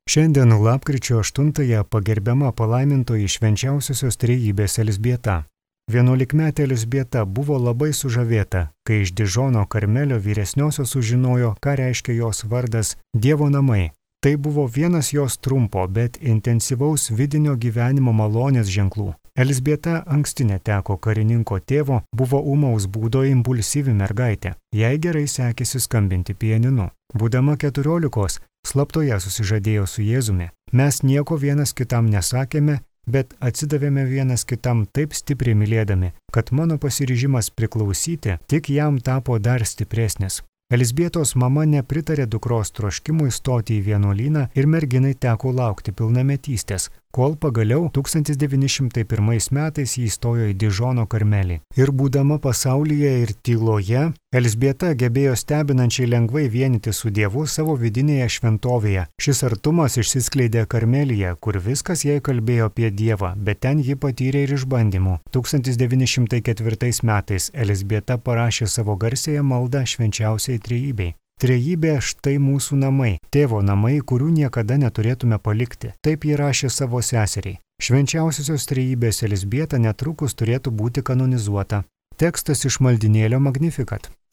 Šiandien lapkričio 8-ąją pagerbiama palaimintoji švenčiausiosios trejybės Elzbieta. 11-metė Elzbieta buvo labai sužavėta, kai iš Dižono Karmelio vyresniosios sužinojo, ką reiškia jos vardas Dievo namai. Tai buvo vienas jos trumpo, bet intensyvaus vidinio gyvenimo malonės ženklų. Elzbieta anksti neteko karininko tėvo, buvo ūmaus būdo impulsyvi mergaitė. Jai gerai sekėsi skambinti pianinu. Būdama 14, slaptoje susižadėjo su Jėzumi. Mes nieko vienas kitam nesakėme, bet atsidavėme vienas kitam taip stipriai mylėdami, kad mano pasiryžimas priklausyti tik jam tapo dar stipresnis. Elzbietos mama nepritarė dukros troškimui stoti į vienuolyną ir merginai teko laukti pilnametystės, kol pagaliau 1901 metais jį įstojo į Dižono Karmelį. Ir būdama pasaulyje ir tyloje, Elzbieta gebėjo stebinančiai lengvai vienyti su Dievu savo vidinėje šventovėje. Šis artumas išsiskleidė Karmelyje, kur viskas jai kalbėjo apie Dievą, bet ten ji patyrė ir išbandymų. 1904 metais Elzbieta parašė savo garsiąją maldą švenčiausiai trejybei. Trejybė štai mūsų namai, tėvo namai, kurių niekada neturėtume palikti. Taip ji rašė savo seseriai. Švenčiausiosios trejybės Elzbieta netrukus turėtų būti kanonizuota. Tekstas iš maldynėlio Magnificat.